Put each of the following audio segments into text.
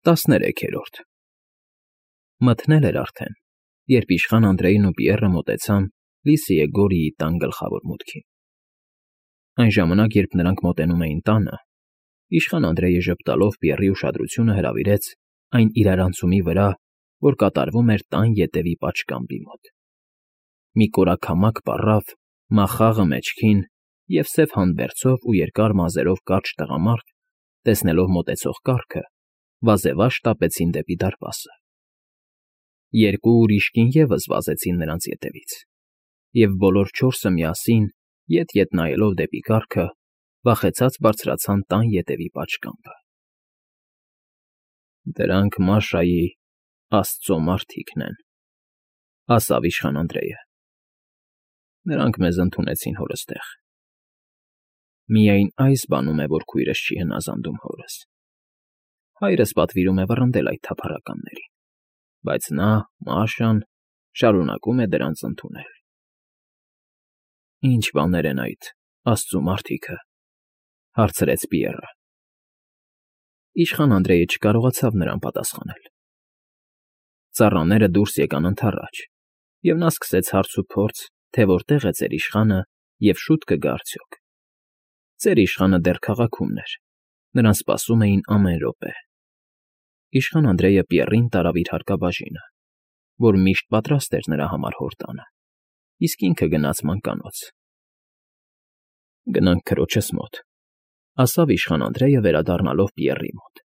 13-րդ Մթնել էր արդեն, երբ իշխան Անդրեյն ու Պիեռը մոտեցան Լիսիե Գորիի տան գլխավոր մուտքին։ Այն ժամանակ, երբ նրանք մոտենում էին տանը, իշխան Անդրեյը ժպտալով Պիեռի ուշադրությունը հրավիրեց այն իրարանցումի վրա, որ կատարվում էր տան ետևի պատշգամբի մոտ։ Մի կորաքամակ պառավ, մախաղը մեջքին և սև հանդբերձով ու երկար մազերով կարճ տղամարդ, տեսնելով մոտեցող կառքը, վազևաշ շտապեցին դեպի դարպասը։ Երկու ուրիշ կին ևս վազեցին նրանց ետևից, և բոլոր չորսը միասին, ետ նայելով դեպի կառքը, վախեցած բարձրացան տան ետևի պատշգամբը։ «Դրանք Մաշայի աստծո մարդիկն են,֊ ասավ իշխան Անդրեյը։ Նրանք մեզ ընդունեցին հորս տեղ։ Միայն այս բանում է, որ քույրս չի հնազանդում հորս. հայրս պատվիրում է վռնդել այդ թափառականներին, բայց նա՝ Մաշան, շարունակում է դրանց ընդունել»։ «Ի՞նչ բաներ են այդ աստծո մարդիկը,֊ հարցրեց Պիեռը։ Իշխան Անդրեյը չկարողացավ նրան պատասխանել։ Ծառաները դուրս եկան ընդառաջ, և նա սկսեց հարց ու փորձ, թե որտեղ է ձեր իշխանը և շուտ կգա արդյոք։ Ձեր իշխանը դեռ քաղաքումն էր, նրան սպասում էին ամեն րոպե։ Իշխան Անդրեյը Պիեռին տարավ իր հարկաբաժինը, որ միշտ պատրաստ էր նրա համար հոր տանը, իսկ ինքը գնաց մանկանոց։ «Գնանք քրոջս մոտ,֊ ասավ իշխան Անդրեյը վերադառնալով Պիեռի մոտ։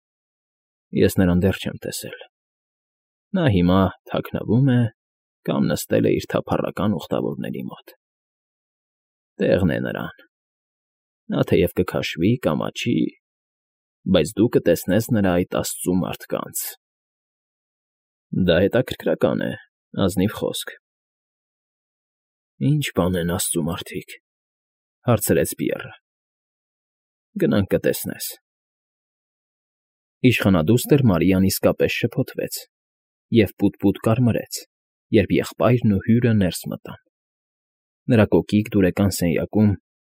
Ես նրան դեռ չեմ տեսել։ Նա հիմա թաքնվում է կամ նստել է իր թափառական ուխտավորների մոտ։ Տեղն է նրան։ Նա թեև կքաշվի, կամաչի, բայց դու կտեսնես նրա այդ աստծու մարդկանց»։ «Դա հետաքրքրական է, ազնիվ խոսք»։ «Ի՞նչ բան են աստծու մարդիկ,֊ հարցրեց Պիեռը։ Գնանք կտեսնես»։ Իշխանադուստր Մարիան իսկապես շփոթվեց և պուտ֊պուտ կարմրեց, երբ եղբայրն ու հյուրը ներս մտան։ Նրա կոկիկ դուրեկան սենյակում,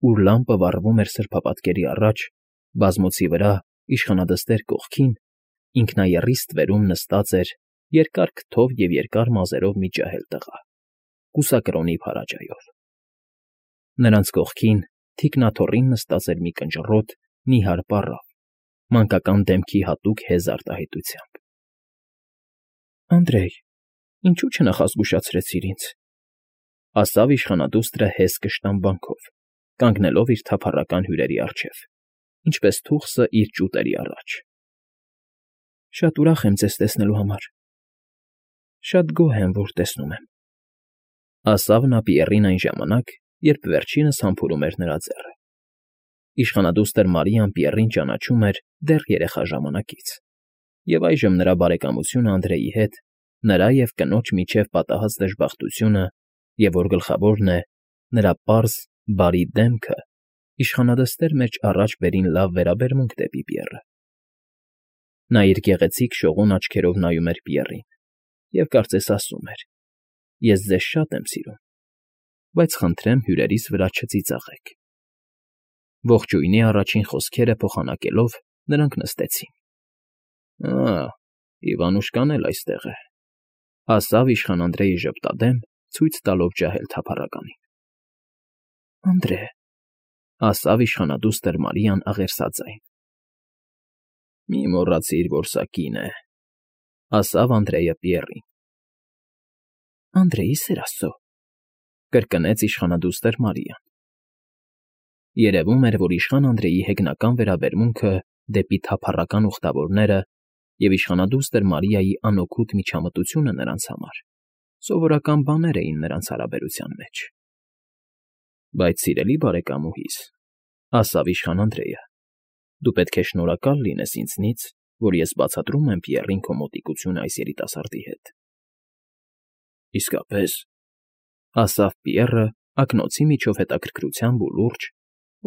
ուր լամպը վառվում էր սրբապատկերի առաջ, բազմոցի վրա, իշխանադստեր կողքին, ինքնաեռի ստվերում նստած էր երկար քթով և երկար մազերով մի ջահել տղա՝ կուսակրոնի փարաջայով։ Նրանց կողքին թիկնաթոռին նստած էր մի կնճռոտ, նիհար պառավ, մանկական դեմքի հատուկ հեզ արտահայտությամբ։ «Անդրեյ, ինչու չնախազգուշացրեցիր ինձ,֊ ասավ իշխանադուստրը հեզ կշտամբանքով, կանգնելով իր թափառական հյուրերի առջև, ինչպես թուխսը իր ճուտերի առաջ։ Շատ ուրախ եմ ձեզ տեսնելու համար։ Շատ գոհ եմ, որ տեսնում եմ,֊ ասավ նա Պիեռին այն ժամանակ, երբ վերջինս համբուրում էր նրա ձեռքը։ Իշխանադուստր Մարիան Պիեռին ճանաչում էր դեռ երեխա ժամանակից, և այժմ նրա բարեկամությունը Անդրեյի հետ, նրա և կնոջ միջև պատահած դժբախտությունը և, որ գլխավորն է, նրա պարզ, բարի դեմքը իշխանադստեր մեջ առաջ բերին լավ վերաբերմունք դեպի Պիեռը։ Նա իր գեղեցիկ շողուն աչքերով նայում էր Պիեռին և կարծես ասում էր. «Ես ձեզ շատ եմ սիրում, բայց խնդրեմ հյուրերիս վրա չծիծաղեք»։ Ողջույնի առաջին խոսքերը փոխանակելով՝ նրանք նստեցին։ Իվանուշկան էլ այստեղ է,֊ ասավ իշխան Անդրեյը ժպտադեմ, ցույց տալով ջահել թափառականին։ «Անդրե,֊ ասավ իշխանադուստր Մարիան աղերսաձայն։ Մի մոռացիր, որ սա կին է,֊ ասավ Անդրեյը Պիեռին։ «Անդրեյ, ի սեր աստծո,֊ կրկնեց իշխանադուստր Մարիան։ Երևում էր, որ իշխան Անդրեյի հեգնական վերաբերմունքը դեպի թափառական ուխտավորները և իշխանադուստր Մարիայի անօգուտ միջամտությունը նրանց համար սովորական բաներ էին նրանց հարաբերության մեջ։ Բայց, սիրելի բարեկամուհիս,֊ ասավ իշխան Անդրեյը, դու պետք է շնորհակալ լինես ինձնից, որ ես բացատրում եմ Պիեռին քո մոտիկությունը այս երիտասարդի հետ»։ «Իսկապես,֊ ասավ Պիեռը ակնոցի միջով հետաքրքրությամբ ու լուրջ,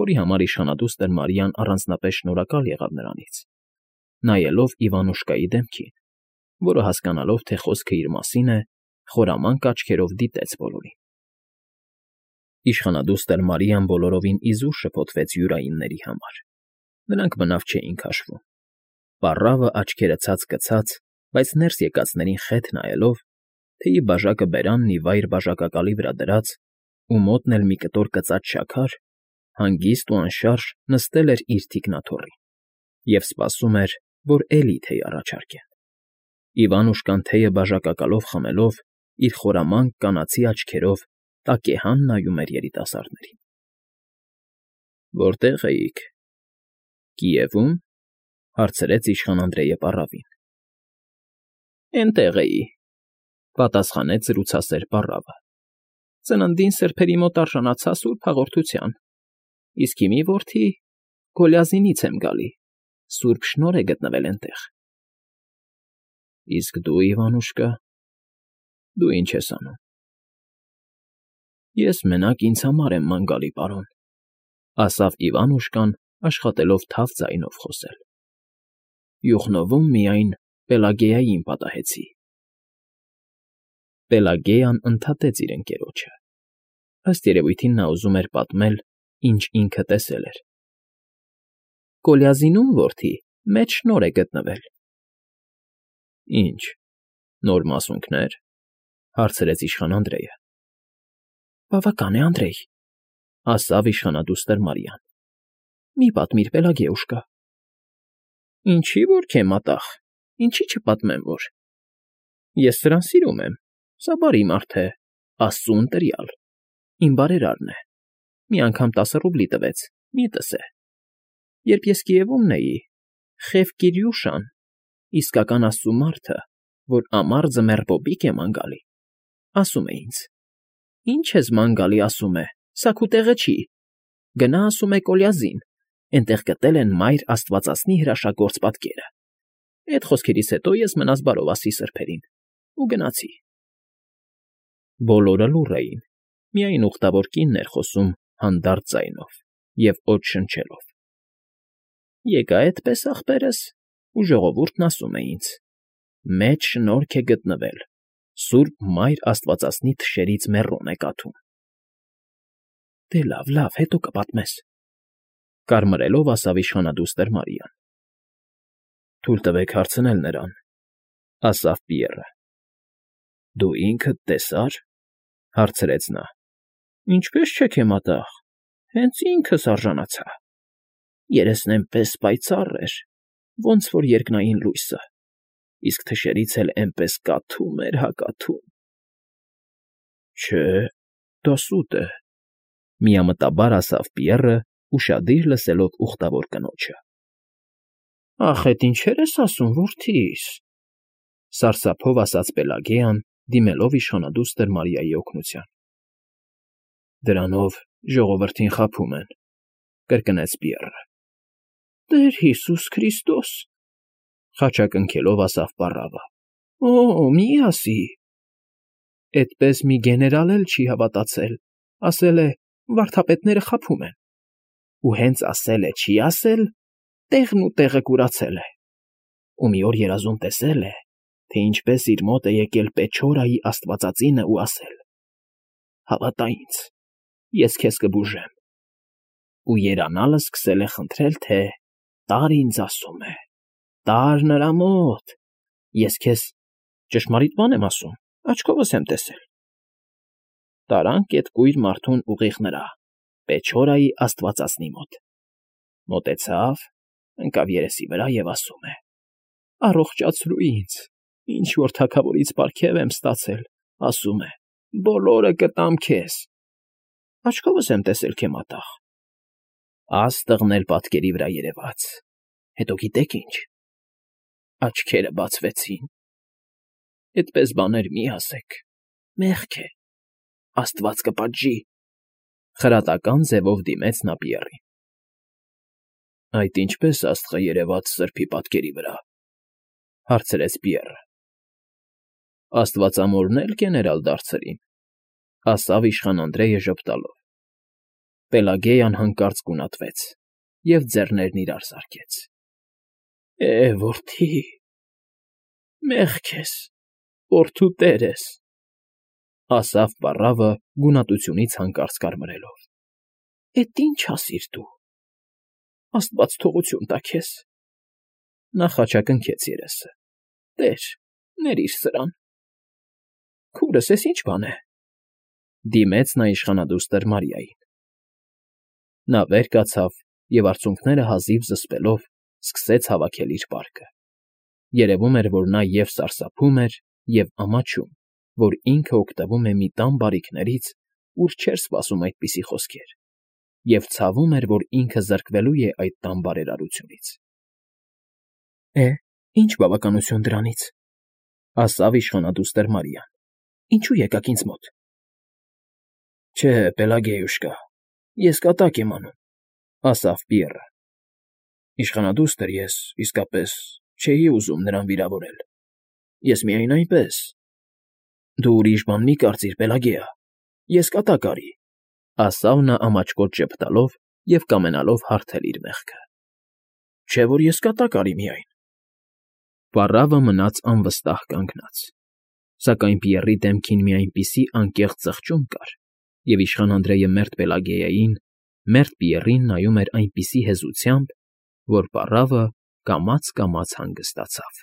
որի համար իշխանադուստր Մարիան առանձնապես շնորհակալ եղավ նրանից, նայելով Իվանուշկայի դեմքին, որը, հասկանալով, թե խոսքը իր մասին է, խորամանկ աչքերով դիտեց բոլորին։ Իշխանադուստր Մարիան բոլորովին իզուր շփոթվեց յուրայինների համար. նրանք բնավ չէին քաշվում։ Պառավը աչքերը ցած կցած, բայց ներս եկածներին խեթ նայելով, թեյի բաժակը բերանն ի վայր բաժակակալի վրա դրած ու մոտն էլ մի կտոր կծած շաքար, հանգիստ ու անշարժ նստել էր իր թիկնաթոռին և սպասում էր, որ էլի թեյ առաջարկեն։ Իվանուշկան թեյը բաժակակալով խմելով, իր խորամանկ կանացի աչքերով տակեհան նայում էր երիտասարդներին։ Որտե՞ղ էիք։ Կիևո՞ւմ,֊ հարցրեց իշխան Անդրեյը պառավին։ Էնտեղ էի,֊ պատասխանեց զրուցասեր պառավը։ Ծննդին սրբերի մոտ արժանացա սուրբ հաղորդության, իսկ հիմի, որդի, Գոլիազինից եմ գալի, սուրբ շնորհ է գտնվել էնտեղ։ Իսկ դու, Իվանուշկա, դու ինչ ես անում։ Ես մենակ ինձ համար եմ ման գալի, պարոն,֊ ասավ Իվանուշկան, աշխատելով թավ ձայնով խոսել։ Յուխնովում միայն Պելագեային պատահեցի։ Պելագեյան ընդհատեց իր ընկերոջը։ Ըստ երևույթին նա ուզում էր պատմել, ինչ ինքը տեսել էր։ Գոլիազինում, որդի, մեծ շնորհ է գտնվել։ Ինչ, նոր մասունքներ,֊ հարցրեց իշխան Անդրեյը։ Բավական է, Անդրեյ,֊ ասավ իշխանադուստր Մարիան։ Մի պատմիր, Պելագեուշկա։ Ինչի որ քե մատաղ, ինչի չպատմեմ որ։ Ես սրան սիրում եմ, սա բարի մարդ է, Աստծու ընտրյալ, իմ բարերարն է, մի անգամ 10 ռուբլի տվեց, միտս է։ Երբ ես Կիևումն էի, Խև Կիրյուշան, իսկական Աստծու մարդը, որ ամառ ձմեռ պոպիկ է ման գալի, ասում է ինձ. Ինչ ես ման գալի, ասում է, սա քո տեղը չի, գնա, ասում է, Կոլիազին, էնտեղ գտել են մայր աստվածածնի հրաշագործ պատկերը։ Էդ խոսքերից հետո ես մնաս բարով ասի սրբերին ու գնացի։ Բոլորը լուռ էին, միայն ուխտավոր կինն էր խոսում հանդարտ ձայնով և օդ շնչելով։ Եկա էդպես, ախպերս, ու ժողովուրդն ասում է ինձ. Մեծ շնորհք է գտնվել, սուրբ մայր աստվածածնի թշերից մեռոն է կաթում։ Դե լավ, հետո կպատմես, կարմրելով ասավ իշխանադուստր Մարիան։ Թույլ տվեք հարցնել նրան, ասավ Պիեռը։ Դու ինքդ տեսա՞ր,֊ հարցրեց նա։ Ինչպես չէ քե մատաղ, հենց ինքս արժանացա։ Երեսն էնպես պայծառ էր, ոնց որ երկնային լույսը, իսկ թշերից էլ էնպես կաթում էր հա կաթում։ Չէ, դա սուտ է,֊ միամտաբար ասավ Պիեռը, ուշադիր լսելով ուխտավոր կնոջը։ Ախ, էդ ինչեր ես ասում, որդիս,֊ սարսափով ասաց Պելագեան, դիմելով իշխանադուստր Մարիայի օգնության։ Դրանով ժողովրդին խաբում են,֊ կրկնեց Պիեռը։ Տեր Հիսուս Քրիստոս,֊ խաչակնքելով ասավ պառավը։ Օ, մի ասի։ Էդպես մի գեներալ էլ չի հավատացել, ասել է, վարդապետները խաբում են։ Ու հենց ասել է, չի ասել, տեղն ու տեղը կուրացել է։ Ու մի օր երազում տեսել է, թե ինչպես իր մոտ է եկել Պեչորայի աստվածածինը ու ասել. Հավատա ինձ, ես քեզ կբուժեմ։ Ու երանալը սկսել է խնդրել, թե տար ինձ, ասում է, տար նրա մոտ, ես քեզ ճշմարիտ բան եմ ասում, աչքովս եմ տեսել։ Տարանք էդ կույր մարդուն ուղիղ նրա, Պեչորայի աստվածածնի մոտ։ Մոտեցավ, ընկավ երեսի վրա և ասում է. Առողջացրու ինձ, ինչ որ թագավորից պարգև եմ ստացել, ասում է, բոլորը կտամ քեզ։ Աչքովս եմ տեսել քե մատաղ։ Աստղն էլ պատկերի վրա երևաց։ Հետո գիտեք ինչ, աչքերը բացվեցին։ Էդպես բաներ մի ասեք, մեղք է, Աստված կպատժի, խրատական ձևով դիմեց նա Պիեռին։ Այդ ինչպես աստղը երևաց սրբի պատկերի վրա, հարցրեց Պիեռը։ Աստվածամորն էլ գեներալ դարձրին, ասավ իշխան Անդրեյը ժպտալով։ Պելագեյան հանկարծ գունատվեց և ձեռներն իրար զարկեց։ Որդի, մեղք ես, որդու տեր ես, ասավ պառավը գունատությունից հանկարծ կարմրելով։ Էդ ինչ ասիր դու, Աստված թողություն տա քեզ։ Նա խաչակնքեց երեսը։ Տեր, ներիր սրան։ Քուրս, էս ի՞նչ բան է,֊ դիմեց նա իշխանադուստր Մարիային։ Նա վեր կացավ և արցունքները հազիվ զսպելով սկսեց հավաքել իր պարկը. երևում էր, որ նա և՛ սարսափում էր, և՛ ամաչում, որ ինքը օգտվում է մի տան բարիքներից, ուր չէր սպասում այդպիսի խոսքեր, և ցավում էր, որ ինքը զրկվելու է այդ տան բարերարությունից։ Ինչ բավականություն դրանից,֊ ասաց իշխանադուստր Մարիան։ Ինչո՞ւ եկաք ինձ մոտ։ Չէ, Պելագեյուշկա, ես կատակ եմ անում,֊ ասաց Պիեռը։ Իշխանադուստր ես, իսկապես, չէի ուզում նրան վիրավորել։ Ես միայն այնպես… Դու ուրիշ բան մի կարծիր, Պելագեա, ես կատակ արի,֊ ասաց նա ամաչկոտ ժպտալով և կամենալով հարթել իր մեղքը։ Չէ՞ որ ես կատակ արի միայն… Պառավը մնաց անվստահ կանգնած, սակայն Պիեռի դեմքին մի այնպիսի անկեղծ զղջում կար, և իշխան Անդրեյը մերթ Պելագեային, մերթ Պիեռին նայում էր այնպիսի հեզությամբ, որ պառավը կամաց֊կամաց հանգստացավ։